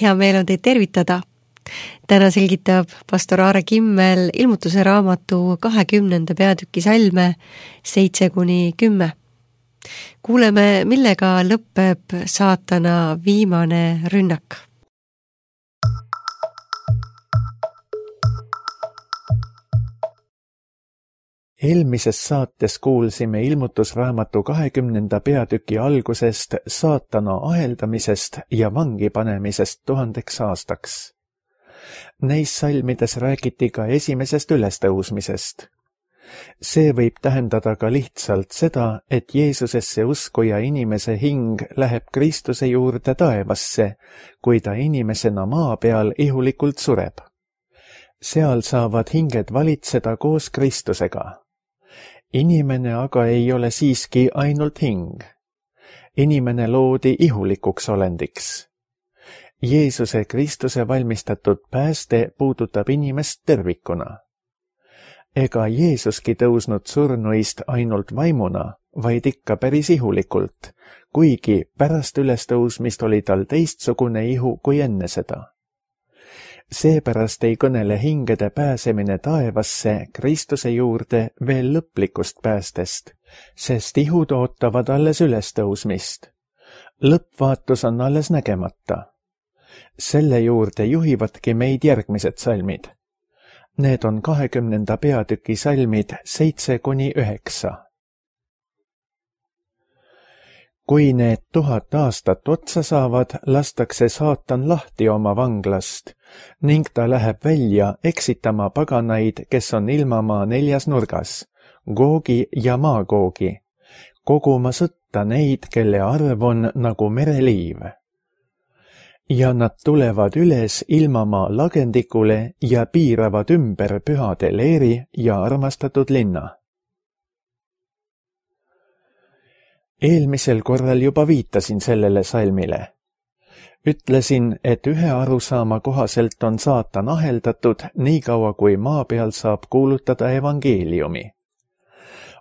Hea meel on teid tervitada. Täna selgitab pastor Aare Kimmel Ilmutuse raamatu 20. peatüki salme 7-10. Kuuleme, millega lõpeb saatana viimane rünnak. Eelmises saates kuulsime Ilmutusraamatu 20. peatüki algusest saatana aheldamisest ja vangi panemisest 1000 aastaks. Neis salmides räägiti ka esimesest ülestõusmisest. See võib tähendada ka lihtsalt seda, et Jeesusesse uskuja inimese hing läheb Kristuse juurde taevasse, kui ta inimesena maa peal ihulikult sureb. Seal saavad hinged valitseda koos Kristusega. Inimene aga ei ole siiski ainult hing. Inimene loodi ihulikuks olendiks. Jeesuse Kristuse valmistatud pääste puudutab inimest tervikuna. Ega Jeesuski tõusnud surnuist ainult vaimuna, vaid ikka päris ihulikult, kuigi pärast ülestõusmist oli tal teistsugune ihu kui enne seda. Seepärast ei kõnele hingede pääsemine taevasse Kristuse juurde veel lõplikust päästest, sest ihud ootavad alles ülestõusmist. Lõppvaatus on alles nägemata. Selle juurde juhivadki meid järgmised salmid. Need on 20. peatüki salmid 7-9. Kui need 1000 aastat otsa saavad, lastakse saatan lahti oma vanglast ning ta läheb välja eksitama paganaid, kes on ilmamaa 4 nurgas, Googi ja Maagoogi, koguma sõtta neid, kelle arv on nagu mereliiv. Ja nad tulevad üles ilmamaa lagendikule ja piiravad ümber pühade leeri ja armastatud linna. Eelmisel korral juba viitasin sellele salmile. Ütlesin, et ühe arusaama kohaselt on saatan aheldatud nii kaua, kui maa peal saab kuulutada evangeeliumi.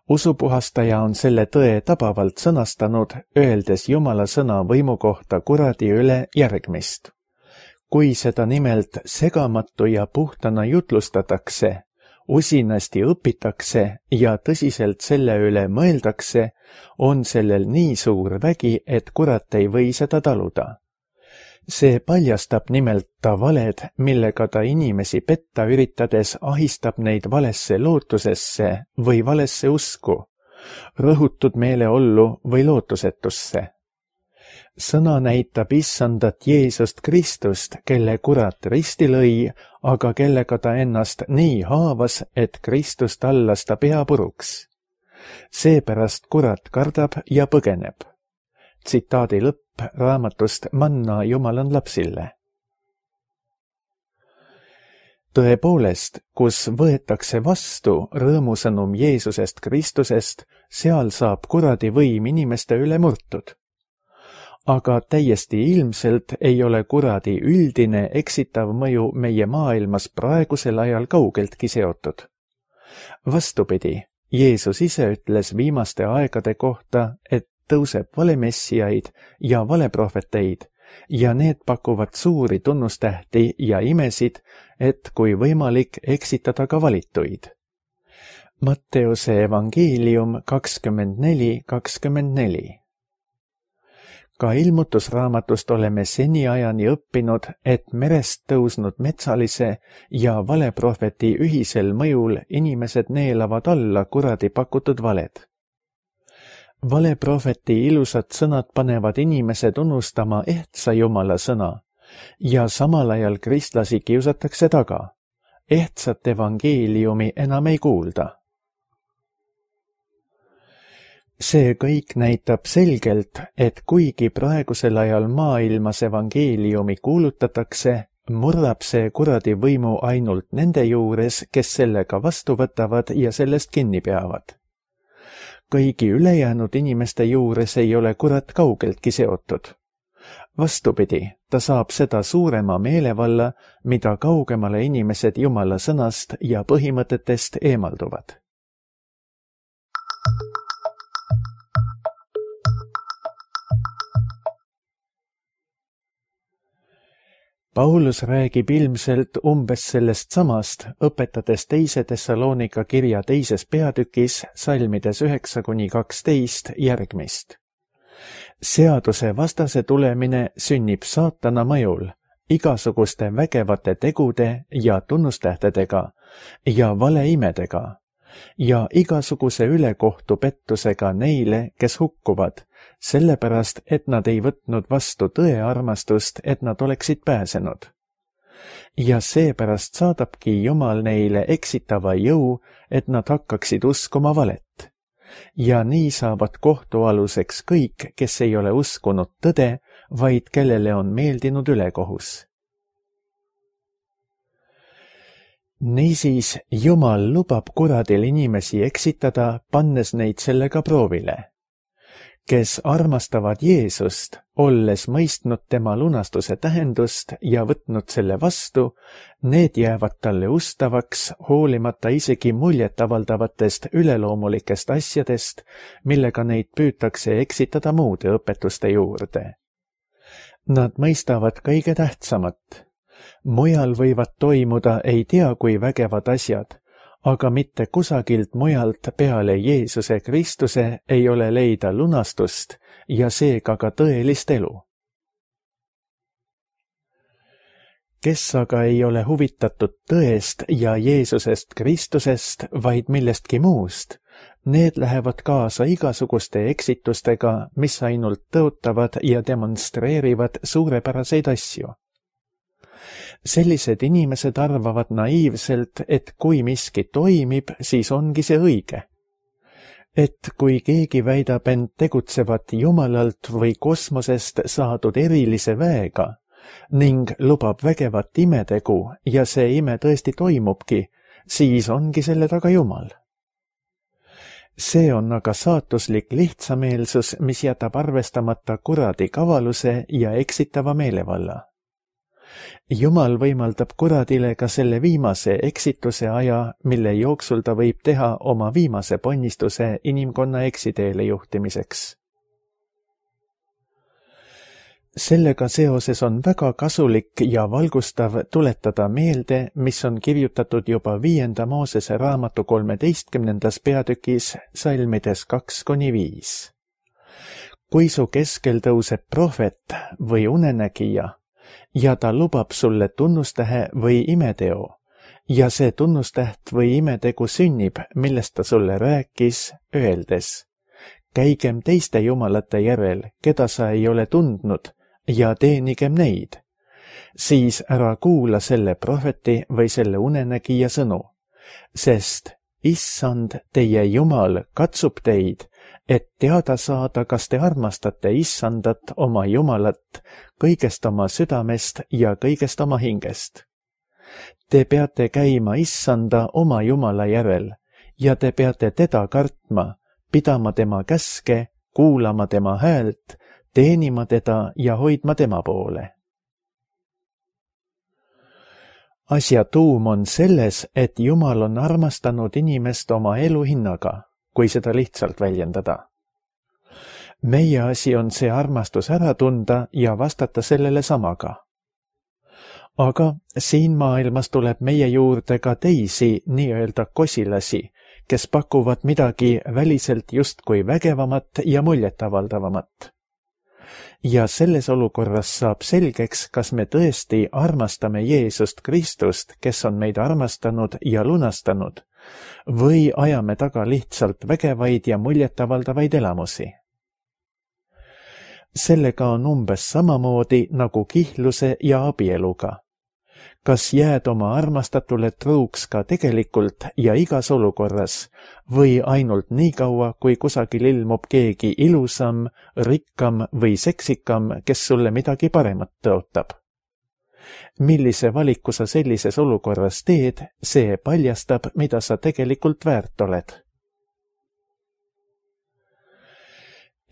Usupuhastaja on selle tõe tabavalt sõnastanud, öeldes Jumala sõna võimu kohta kuradi üle järgmist. Kui seda nimelt segamatu ja puhtana jutlustatakse, usinasti õpitakse ja tõsiselt selle üle mõeldakse, on sellel nii suur vägi, et kurat ei või seda taluda. See paljastab nimelt ta valed, millega ta inimesi petta üritades ahistab neid valesse lootusesse või valesse usku, rõhutud meeleollu või lootusetusse. Sõna näitab issandat Jeesust Kristust, kelle kurat risti lõi, aga kellega ta ennast nii haavas, et Kristus tallas ta pea puruks. Seepärast kurat kardab ja põgeneb. Tsitaadi lõpp raamatust Manna Jumalan lapsille. Tõepoolest, kus võetakse vastu rõõmusõnum Jeesusest Kristusest, seal saab kuradi võim inimeste üle murtud. Aga täiesti ilmselt ei ole kuradi üldine eksitav mõju meie maailmas praegusel ajal kaugeltki seotud. Vastupidi, Jeesus ise ütles viimaste aegade kohta, et tõuseb valemessiaid ja valeprohveteid ja need pakuvad suuri tunnustähti ja imesid, et kui võimalik eksitada ka valituid. Matteuse evangeelium 24:24. Ka Ilmutusraamatust oleme seniajani õppinud, et merest tõusnud metsalise ja valeprohveti ühisel mõjul inimesed neelavad alla kuradi pakutud valed. Valeprohveti ilusad sõnad panevad inimesed unustama ehtsa Jumala sõna ja samal ajal kristlasi kiusatakse taga. Ehtsat evangeeliumi enam ei kuulda. See kõik näitab selgelt, et kuigi praegusel ajal maailmas evangeeliumi kuulutatakse, murrab see kuradi võimu ainult nende juures, kes sellega vastu võtavad ja sellest kinni peavad. Kõigi ülejäänud inimeste juures ei ole kurat kaugeltki seotud. Vastupidi, ta saab seda suurema meelevalla, mida kaugemale inimesed Jumala sõnast ja põhimõtetest eemalduvad. Paulus räägib ilmselt umbes sellest samast, õpetades 2. Thessalonika kirja 2. peatükis salmides 9-12 järgmist. Seaduse vastase tulemine sünnib saatana mõjul, igasuguste vägevate tegude ja tunnustähtedega ja valeimedega ja igasuguse ülekohtu pettusega neile, kes hukkuvad, sellepärast, et nad ei võtnud vastu tõe armastust, et nad oleksid pääsenud. Ja seepärast saadabki Jumal neile eksitava jõu, et nad hakkaksid uskuma valet. Ja nii saavad kohtualuseks kõik, kes ei ole uskunud tõde, vaid kellele on meeldinud ülekohus. Niisiis, Jumal lubab kuradil inimesi eksitada, pannes neid sellega proovile. Kes armastavad Jeesust, olles mõistnud tema lunastuse tähendust ja võtnud selle vastu, need jäävad talle ustavaks, hoolimata isegi muljetavaldavatest üleloomulikest asjadest, millega neid püütakse eksitada muude õpetuste juurde. Nad mõistavad kõige tähtsamat. Mujal võivad toimuda ei tea kui vägevad asjad, aga mitte kusagilt mujalt peale Jeesuse Kristuse ei ole leida lunastust ja seega ka tõelist elu. Kes aga ei ole huvitatud tõest ja Jeesusest Kristusest, vaid millestki muust, need lähevad kaasa igasuguste eksitustega, mis ainult tõotavad ja demonstreerivad suurepäraseid asju. Sellised inimesed arvavad naiivselt, et kui miski toimib, siis ongi see õige. Et kui keegi väidab end tegutsevat Jumalalt või kosmosest saadud erilise väega ning lubab vägevat imetegu ja see ime tõesti toimubki, siis ongi selle taga Jumal. See on aga saatuslik lihtsameelsus, mis jätab arvestamata kuradi kavaluse ja eksitava meelevalla. Jumal võimaldab kuradile ka selle viimase eksituse aja, mille jooksul ta võib teha oma viimase ponnistuse inimkonna eksiteele juhtimiseks. Sellega seoses on väga kasulik ja valgustav tuletada meelde, mis on kirjutatud juba 5. Moosese raamatu 13. peatükis salmides 2-5. Kui su keskel tõuseb prohvet või unenägija, ja ta lubab sulle tunnustähe või imeteo, ja see tunnustäht või imetegu sünnib, millest ta sulle rääkis, öeldes: käigem teiste jumalate järel, keda sa ei ole tundnud, ja teenigem neid. Siis ära kuula selle prohveti või selle unenägija sõnu, sest Issand, teie Jumal, katsub teid, et teada saada, kas te armastate Issandat, oma Jumalat, kõigest oma südamest ja kõigest oma hingest. Te peate käima Issanda oma Jumala järel ja te peate teda kartma, pidama tema käske, kuulama tema häält, teenima teda ja hoidma tema poole. Asja tuum on selles, et Jumal on armastanud inimest oma elu hinnaga, kui seda lihtsalt väljendada. Meie asi on see armastus ära tunda ja vastata sellele samaga. Aga siin maailmas tuleb meie juurde ka teisi nii-öelda kosilasi, kes pakuvad midagi väliselt justkui vägevamat ja muljetavaldavamat. Ja selles olukorras saab selgeks, kas me tõesti armastame Jeesust Kristust, kes on meid armastanud ja lunastanud, või ajame taga lihtsalt vägevaid ja muljetavaldavaid elamusi. Sellega on umbes samamoodi nagu kihluse ja abieluga. Kas jääd oma armastatule truuks ka tegelikult ja igas olukorras või ainult nii kaua, kui kusagil ilmub keegi ilusam, rikkam või seksikam, kes sulle midagi paremat tõotab? Millise valiku sa sellises olukorras teed, see paljastab, mida sa tegelikult väärt oled.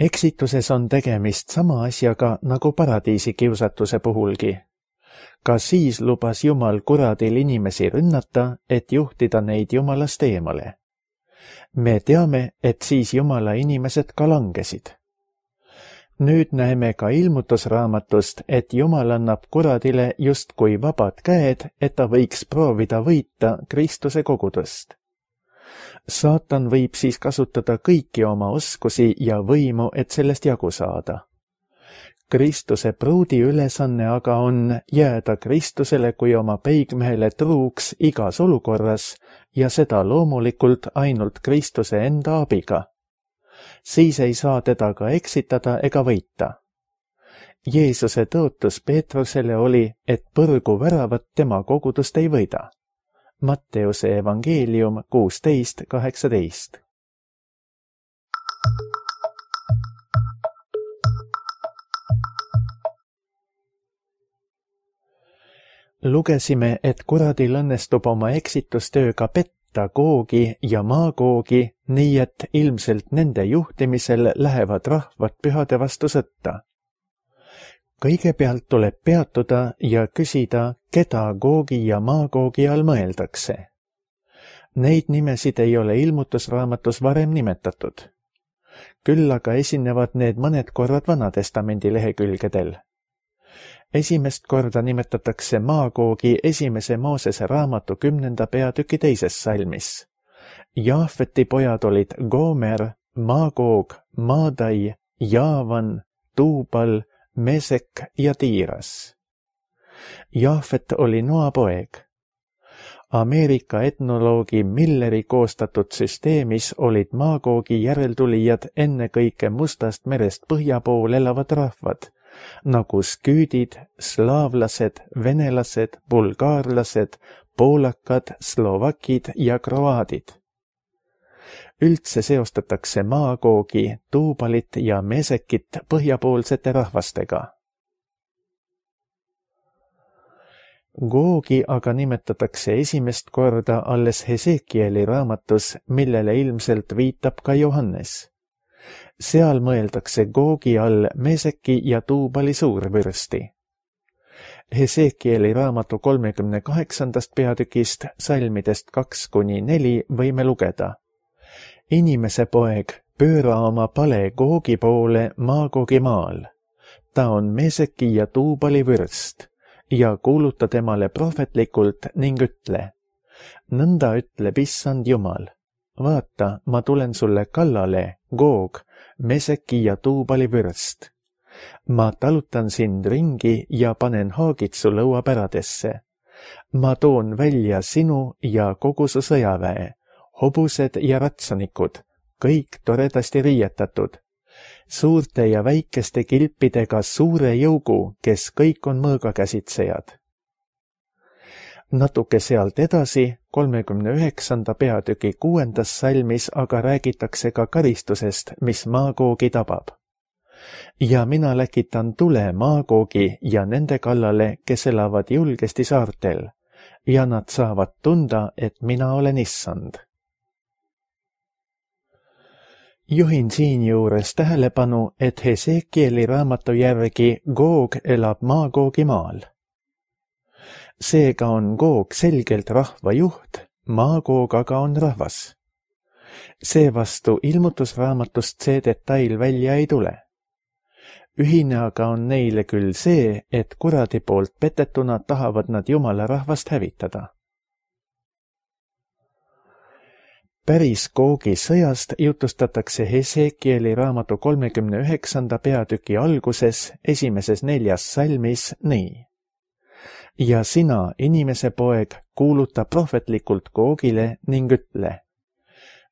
Eksituses on tegemist sama asjaga nagu paradiisi kiusatuse puhulgi. Ka siis lubas Jumal kuradil inimesi rünnata, et juhtida neid Jumalast eemale. Me teame, et siis Jumala inimesed ka langesid. Nüüd näeme ka ilmutusraamatust, et Jumal annab kuradile justkui vabad käed, et ta võiks proovida võita Kristuse kogudust. Saatan võib siis kasutada kõiki oma oskusi ja võimu, et sellest jagu saada. Kristuse pruudi ülesanne aga on jääda Kristusele kui oma peigmehele truuks igas olukorras ja seda loomulikult ainult Kristuse enda abiga. Siis ei saa teda ka eksitada ega võita. Jeesuse tõotus Peetrusele oli, et põrgu väravat tema kogudust ei võida. Matteuse evangeelium 16:18. Lugesime, et kuradil õnnestub oma eksitustööga petta Googi ja Magoogi, nii et ilmselt nende juhtimisel lähevad rahvad pühade vastu sõtta. Kõigepealt tuleb peatuda ja küsida, keda Googi ja Magoogi all mõeldakse. Neid nimesid ei ole ilmutusraamatus varem nimetatud. Küll aga esinevad need mõned korrad Vanatestamendi lehekülgedel. Esimest korda nimetatakse Magoogi 1. Moosese raamatu 10. peatüki 2. salmis. Jaafeti pojad olid Gomer, Magoog, Maadai, Jaavan, Tuubal, Mesek ja Tiiras. Jaafet oli Noa poeg. Ameerika etnoloogi Milleri koostatud süsteemis olid Magoogi järeltulijad ennekõike Mustast merest põhja pool elavad rahvad, nagu sküüdid, slaavlased, venelased, bulgaarlased, poolakad, slovakid ja kroaadid. Üldse seostatakse Magoogi, Tuubalit ja Mesekit põhjapoolsete rahvastega. Googi aga nimetatakse esimest korda alles Hesekieli raamatus, millele ilmselt viitab ka Johannes. Seal mõeldakse Googi all Meseki ja Tuubali suurvürsti. Hesekieli raamatu 38. peatükist salmidest 2-4 võime lugeda. Inimese poeg, pööra oma pale Googi poole Magoogi maal. Ta on Meseki ja Tuubali vürst ja kuuluta temale prohvetlikult ning ütle. Nõnda ütleb Issand Jumal. Vaata, ma tulen sulle kallale, Goog, Meseki ja Tuubali vürst. Ma talutan sind ringi ja panen haagid su lõuapäradesse. Ma toon välja sinu ja kogu su sõjaväe, hobused ja ratsanikud, kõik toredasti riietatud. Suurte ja väikeste kilpidega suure jõugu, kes kõik on mõõgakäsitsejad. Natuke sealt edasi, 39. peatüki 6. salmis aga räägitakse ka karistusest, mis Magoogi tabab. Ja mina läkitan tule Magoogi ja nende kallale, kes elavad julgesti saartel, ja nad saavad tunda, et mina olen Issand. Juhin siinjuures tähelepanu, et Hesekieli raamatu järgi Goog elab Magoogi maal. Seega on Goog selgelt rahva juht, Magoog aga on rahvas. Seevastu ilmutusraamatust see detail välja ei tule. Ühine aga on neile küll see, et kuradi poolt petetuna tahavad nad Jumala rahvast hävitada. Päris Googi sõjast jutustatakse Hesekieli raamatu 39. peatüki alguses 1. 4. salmis nii. Ja sina, inimese poeg, kuuluta prohvetlikult Googile ning ütle.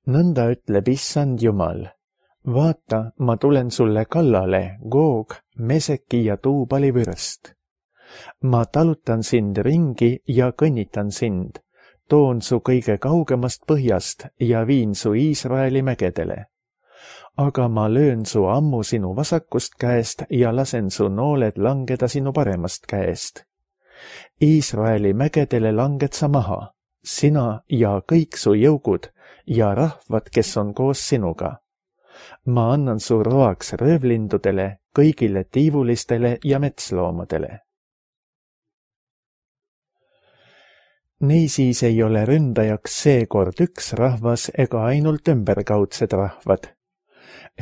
Nõnda ütleb Issand Jumal. Vaata, ma tulen sulle kallale, Goog, Meseki ja Tuubali vürst. Ma talutan sind ringi ja kõnnitan sind. Toon su kõige kaugemast põhjast ja viin su Iisraeli mägedele. Aga ma löön su ammu sinu vasakust käest ja lasen su nooled langeda sinu paremast käest. Iisraeli mägedele langed sa maha, sina ja kõik su jõugud ja rahvad, kes on koos sinuga. Ma annan su roaks röövlindudele, kõigile tiivulistele ja metsloomadele. Niisiis ei ole ründajaks seekord üks rahvas ega ainult ümberkaudsed rahvad.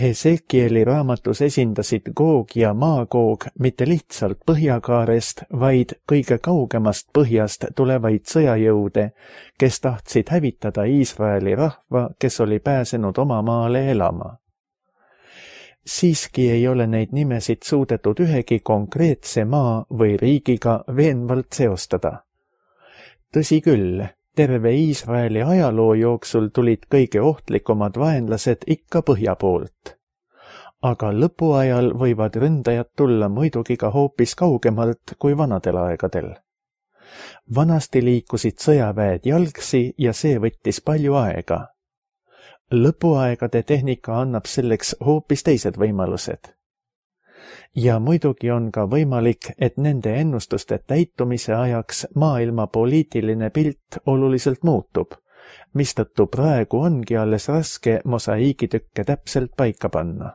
Hesekieli raamatus esindasid Goog ja Maagoog mitte lihtsalt põhjakaarest, vaid kõige kaugemast põhjast tulevaid sõjajõude, kes tahtsid hävitada Iisraeli rahva, kes oli pääsenud oma maale elama. Siiski ei ole neid nimesid suudetud ühegi konkreetse maa või riigiga veenvalt seostada. Tõsi küll, terve Iisraeli ajaloo jooksul tulid kõige ohtlikumad vaenlased ikka põhja poolt. Aga lõpuajal võivad ründajad tulla muidugi ka hoopis kaugemalt kui vanadel aegadel. Vanasti liikusid sõjaväed jalgsi ja see võttis palju aega. Lõpuaegade tehnika annab selleks hoopis teised võimalused. Ja muidugi on ka võimalik, et nende ennustuste täitumise ajaks maailma poliitiline pilt oluliselt muutub, mistõttu praegu ongi alles raske mosaiigitükke täpselt paika panna.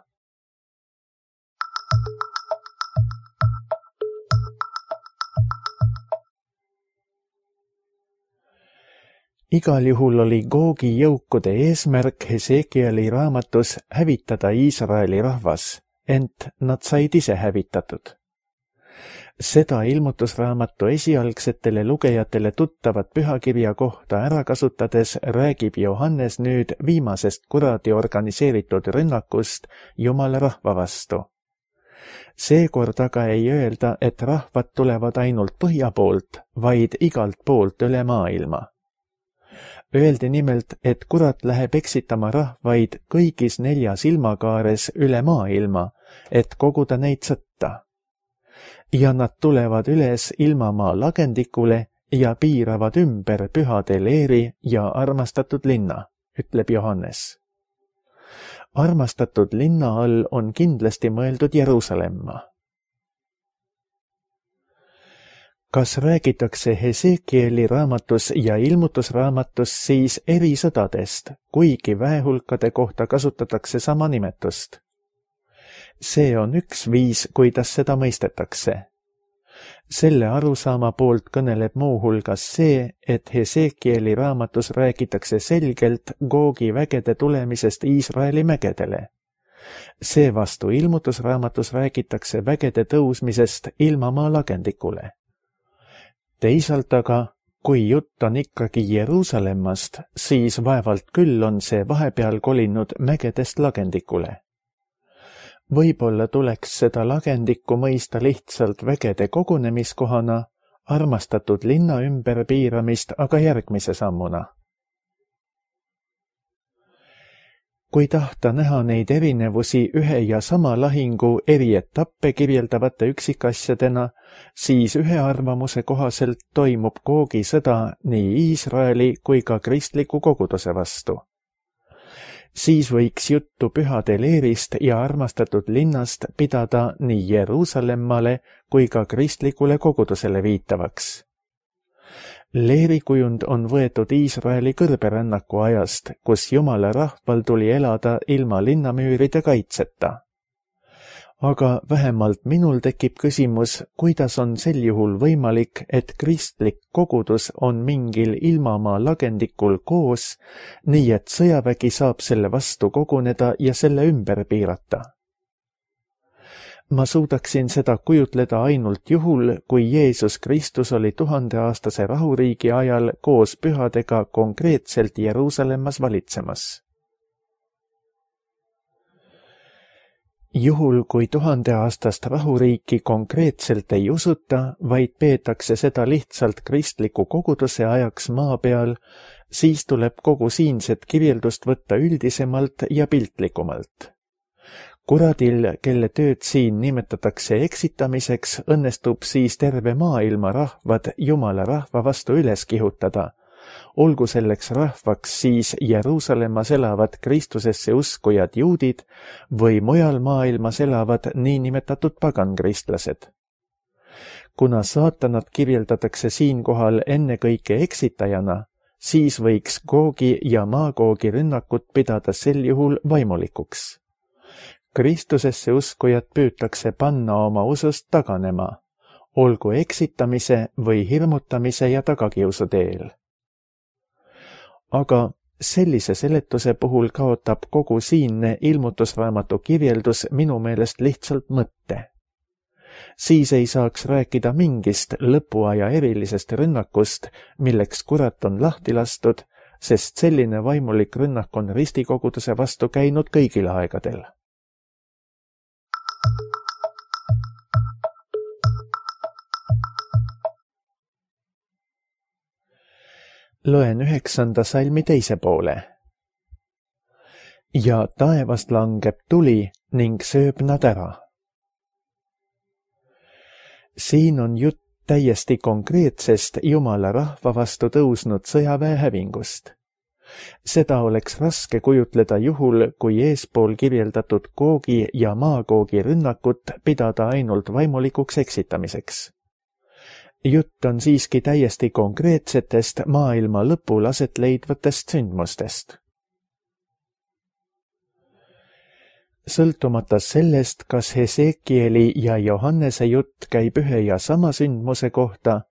Igal juhul oli Googi jõukude eesmärk Hesekieli raamatus hävitada Iisraeli rahvas, ent nad said ise hävitatud. Seda ilmutusraamatu esialgsetele lugejatele tuttavat pühakirja kohta ära kasutades räägib Johannes nüüd viimasest kuradi organiseeritud rünnakust Jumala rahva vastu. Seekord aga ei öelda, et rahvad tulevad ainult põhja poolt, vaid igalt poolt üle maailma. Öeldi nimelt, et kurat läheb eksitama rahvaid kõigis 4 ilmakaares üle maailma, et koguda neid sõtta. Ja nad tulevad üles ilmamaa lagendikule ja piiravad ümber pühade leeri ja armastatud linna, ütleb Johannes. Armastatud linna all on kindlasti mõeldud Jeruusalemma. Kas räägitakse Hesekieli raamatus ja ilmutusraamatus siis eri sõdadest, kuigi väehulkade kohta kasutatakse sama nimetust? See on üks viis, kuidas seda mõistetakse. Selle arusaama poolt kõneleb muuhulgas see, et Hesekieli raamatus räägitakse selgelt Googi vägede tulemisest Iisraeli mägedele. Seevastu ilmutusraamatus räägitakse vägede tõusmisest ilmamaa lagendikule. Teisalt aga, kui jutt on ikkagi Jeruusalemmast, siis vaevalt küll on see vahepeal kolinud mägedest lagendikule. Võib-olla tuleks seda lagendikku mõista lihtsalt vägede kogunemiskohana, armastatud linna ümber piiramist aga järgmise sammuna. Kui tahta näha neid erinevusi ühe ja sama lahingu eri etappe kirjeldavate üksikasjadena, siis ühe arvamuse kohaselt toimub Googi sõda nii Iisraeli kui ka kristliku koguduse vastu. Siis võiks juttu pühade leerist ja armastatud linnast pidada nii Jeruusalemmale kui ka kristlikule kogudusele viitavaks. Leerikujund on võetud Iisraeli kõrberännaku ajast, kus Jumala rahval tuli elada ilma linnamüüride kaitseta. Aga vähemalt minul tekib küsimus, kuidas on sel juhul võimalik, et kristlik kogudus on mingil ilmamaa lagendikul koos, nii et sõjavägi saab selle vastu koguneda ja selle ümber piirata. Ma suudaksin seda kujutleda ainult juhul, kui Jeesus Kristus oli 1000-aastase rahuriigi ajal koos pühadega konkreetselt Jeruusalemmas valitsemas. Juhul, kui 1000-aastast rahuriiki konkreetselt ei usuta, vaid peetakse seda lihtsalt kristliku koguduse ajaks maa peal, siis tuleb kogu siinset kirjeldust võtta üldisemalt ja piltlikumalt. Kuradil, kelle tööd siin nimetatakse eksitamiseks, õnnestub siis terve maailma rahvad Jumala rahva vastu üles kihutada, olgu selleks rahvaks siis Jeruusalemmas elavad Kristusesse uskujad juudid või mujal maailmas elavad niinimetatud pagankristlased. Kuna saatanat kirjeldatakse siinkohal ennekõike eksitajana, siis võiks Googi ja Maagoogi rünnakut pidada sel juhul vaimulikuks. Kristusesse uskujad püütakse panna oma usust taganema, olgu eksitamise või hirmutamise ja tagakiusu teel. Aga Sellise seletuse puhul kaotab kogu siinne ilmutusraamatu kirjeldus minu meelest lihtsalt mõtte. Siis ei saaks rääkida mingist lõpuaja erilisest rünnakust, milleks kurat on lahti lastud, sest selline vaimulik rünnak on ristikoguduse vastu käinud kõigil aegadel. Loen 9. salmi teise poole. Ja taevast langeb tuli ning sööb nad ära. Siin on jutt täiesti konkreetsest Jumala rahva vastu tõusnud sõjaväe hävingust. Seda oleks raske kujutleda juhul, kui eespool kirjeldatud Googi ja Maagoogi rünnakut pidada ainult vaimulikuks eksitamiseks. Jutt on siiski täiesti konkreetsetest maailma lõpul aset leidvatest sündmustest. Sõltumata sellest, kas Hesekieli ja Johannese jutt käib ühe ja sama sündmuse kohta,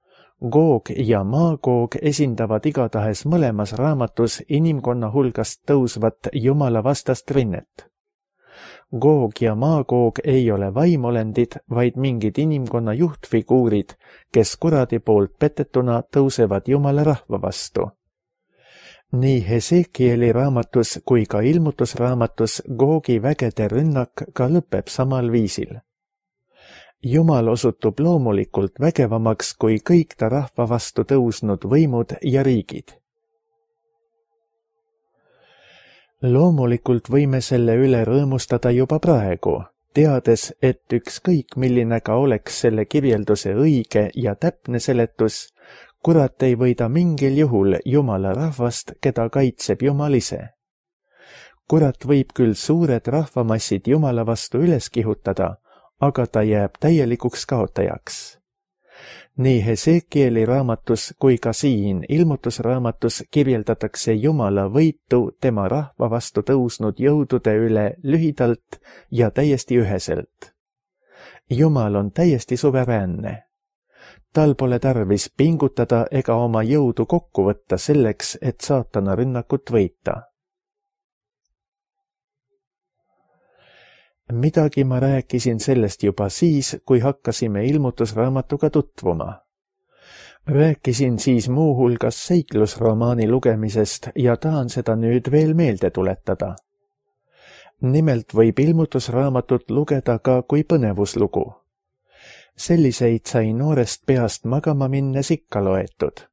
Goog ja Maagoog esindavad igatahes mõlemas raamatus inimkonna hulgast tõusvat Jumala vastast rinnet. Goog ja Maagoog ei ole vaimolendid, vaid mingid inimkonna juhtfiguurid, kes kuradi poolt petetuna tõusevad Jumala rahva vastu. Nii Hesekieli raamatus kui ka ilmutusraamatus Googi vägede rünnak ka lõpeb samal viisil. Jumal osutub loomulikult vägevamaks kui kõik ta rahva vastu tõusnud võimud ja riigid. Loomulikult võime selle üle rõõmustada juba praegu, teades, et ükskõik milline ka oleks selle kirjelduse õige ja täpne seletus, kurat ei võida mingil juhul Jumala rahvast, keda kaitseb Jumal ise. Kurat võib küll suured rahvamassid Jumala vastu üles kihutada, aga ta jääb täielikuks kaotajaks. Nii Hesekieli raamatus kui ka siin ilmutusraamatus kirjeldatakse Jumala võitu tema rahva vastu tõusnud jõudude üle lühidalt ja täiesti üheselt. Jumal on täiesti suveräänne. Tal pole tarvis pingutada ega oma jõudu kokku võtta selleks, et saatana rünnakut võita. Midagi ma rääkisin sellest juba siis, kui hakkasime ilmutusraamatuga tutvuma. Rääkisin siis muuhulgas seiklusromaani lugemisest ja tahan seda nüüd veel meelde tuletada. Nimelt võib ilmutusraamatut lugeda ka kui põnevuslugu. Selliseid sai noorest peast magama minnes ikka loetud.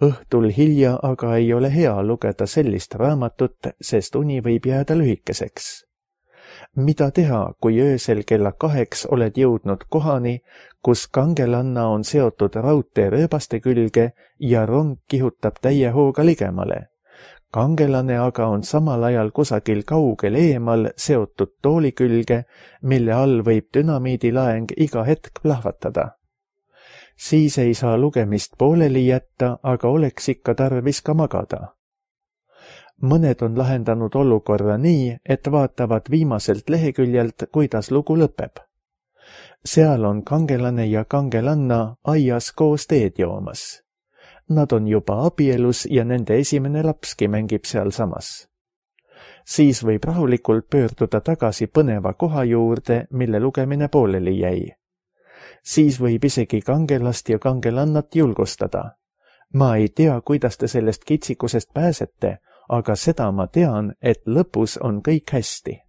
Õhtul hilja aga ei ole hea lugeda sellist raamatut, sest uni võib jääda lühikeseks. Mida teha, kui öösel kella 2 oled jõudnud kohani, kus kangelanna on seotud raudteerööbaste külge ja rong kihutab täie hooga ligemale? Kangelane aga on samal ajal kusagil kaugel eemal seotud tooli külge, mille all võib dünamiidilaeng iga hetk plahvatada. Siis ei saa lugemist pooleli jätta, aga oleks ikka tarvis ka magada. Mõned on lahendanud olukorra nii, et vaatavad viimaselt leheküljelt, kuidas lugu lõpeb. Seal on kangelane ja kangelanna aias koos teed joomas. Nad on juba abielus ja nende esimene lapski mängib sealsamas. Siis võib rahulikult pöörduda tagasi põneva koha juurde, mille lugemine pooleli jäi. Siis võib isegi kangelast ja kangelannat julgustada. Ma ei tea, kuidas te sellest kitsikusest pääsete, aga seda ma tean, et lõpus on kõik hästi.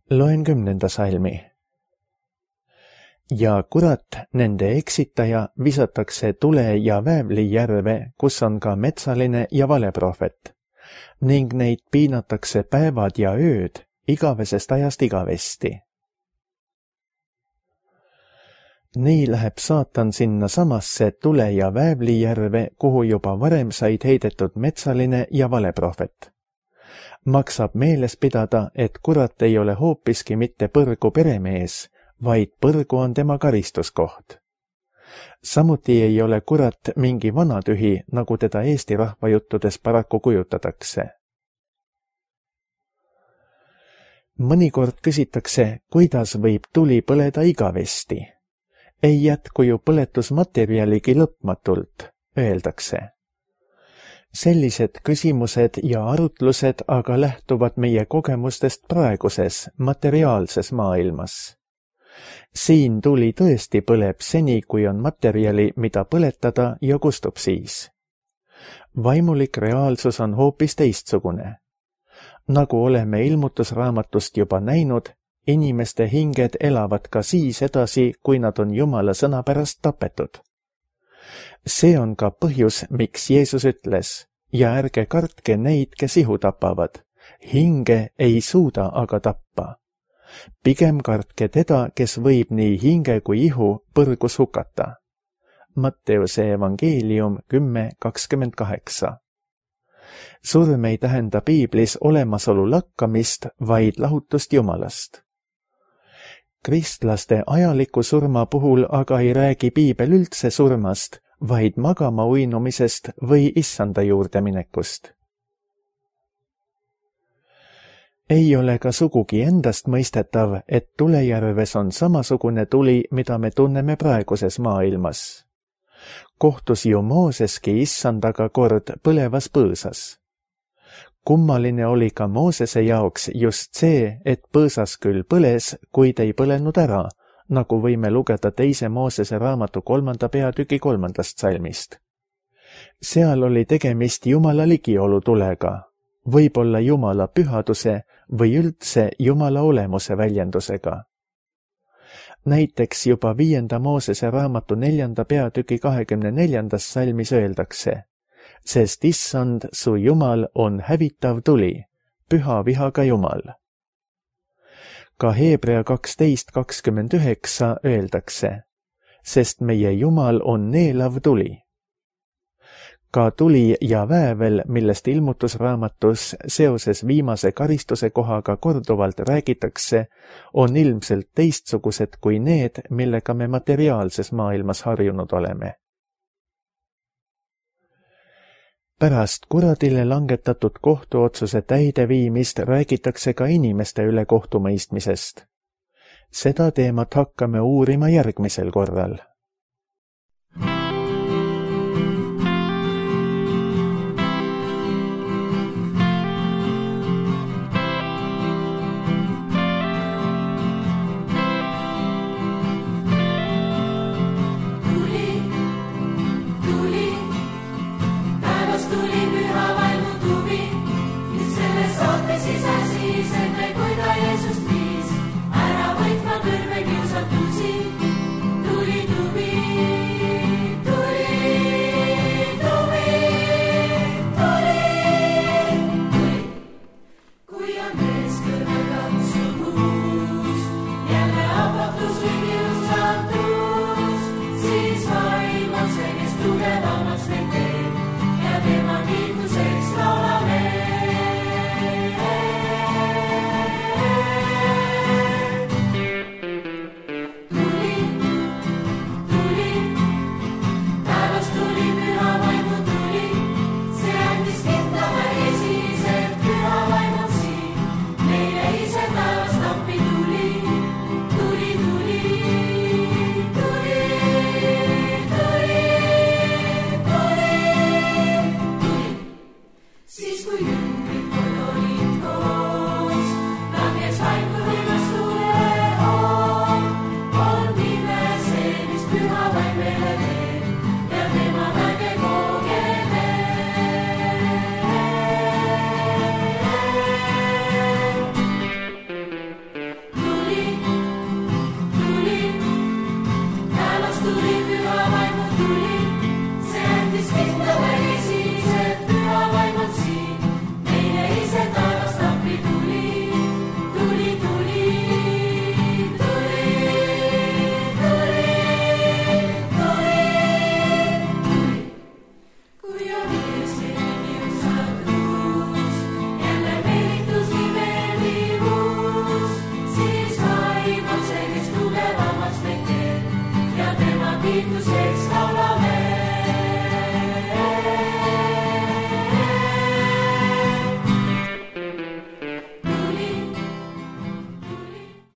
Loen 10. salmi. Ja kurat, nende eksitaja, visatakse tule ja väävli järve, kus on ka metsaline ja valeprohvet, ning neid piinatakse päevad ja ööd, igavesest ajast igavesti. Nii läheb saatan sinna samasse tule ja väävli järve, kuhu juba varem said heidetud metsaline ja valeprohvet. Maksab meeles pidada, et kurat ei ole hoopiski mitte põrgu peremees, vaid põrgu on tema karistuskoht. Samuti ei ole kurat mingi vanatühi, nagu teda Eesti rahvajuttudes paraku kujutatakse. mõnikord küsitakse, kuidas võib tuli põleda igavesti. Ei jätku ju põletusmaterjaligi lõpmatult, öeldakse. Sellised küsimused ja arutlused aga lähtuvad meie kogemustest praeguses, materiaalses maailmas. Siin tuli tõesti põleb seni, kui on materjali, mida põletada ja kustub siis. Vaimulik reaalsus on hoopis teistsugune. Nagu oleme ilmutusraamatust juba näinud, inimeste hinged elavad ka siis edasi, kui nad on Jumala sõna pärast tapetud. See on ka põhjus, miks Jeesus ütles, ja ärge kartke neid, kes ihu tapavad. Hinge ei suuda aga tappa. Pigem kartke teda, kes võib nii hinge kui ihu põrgus hukata. Matteuse evangeelium 10:28. Surm ei tähenda piiblis olemasolu lakkamist, vaid lahutust Jumalast. Kristlaste ajaliku surma puhul aga ei räägi piibel üldse surmast, vaid magama uinumisest või issanda juurde minekust. Ei ole ka sugugi endast mõistetav, et tulejärves on samasugune tuli, mida me tunneme praeguses maailmas. Kohtus ju Mooseski issandaga kord põlevas põõsas. Kummaline oli ka Moosese jaoks just see, et põõsas küll põles, kuid ei põlenud ära, nagu võime lugeda 2. Moosese raamatu 3. peatüki 3. salmist. Seal oli tegemist Jumala ligiolu tulega, võib-olla Jumala pühaduse või üldse Jumala olemuse väljendusega. Näiteks juba 5. Moosese raamatu 4. peatüki 24. salmis öeldakse, sest issand, su Jumal on hävitav tuli, püha vihaga Jumal. Ka Hebrea 12:29 öeldakse, sest meie Jumal on neelav tuli. Ka tuli ja väävel, millest ilmutusraamatus seoses viimase karistuse kohaga korduvalt räägitakse, on ilmselt teistsugused kui need, millega me materiaalses maailmas harjunud oleme. Pärast kuradile langetatud kohtuotsuse täideviimist räägitakse ka inimeste üle kohtumõistmisest. Seda teemat hakkame uurima järgmisel korral.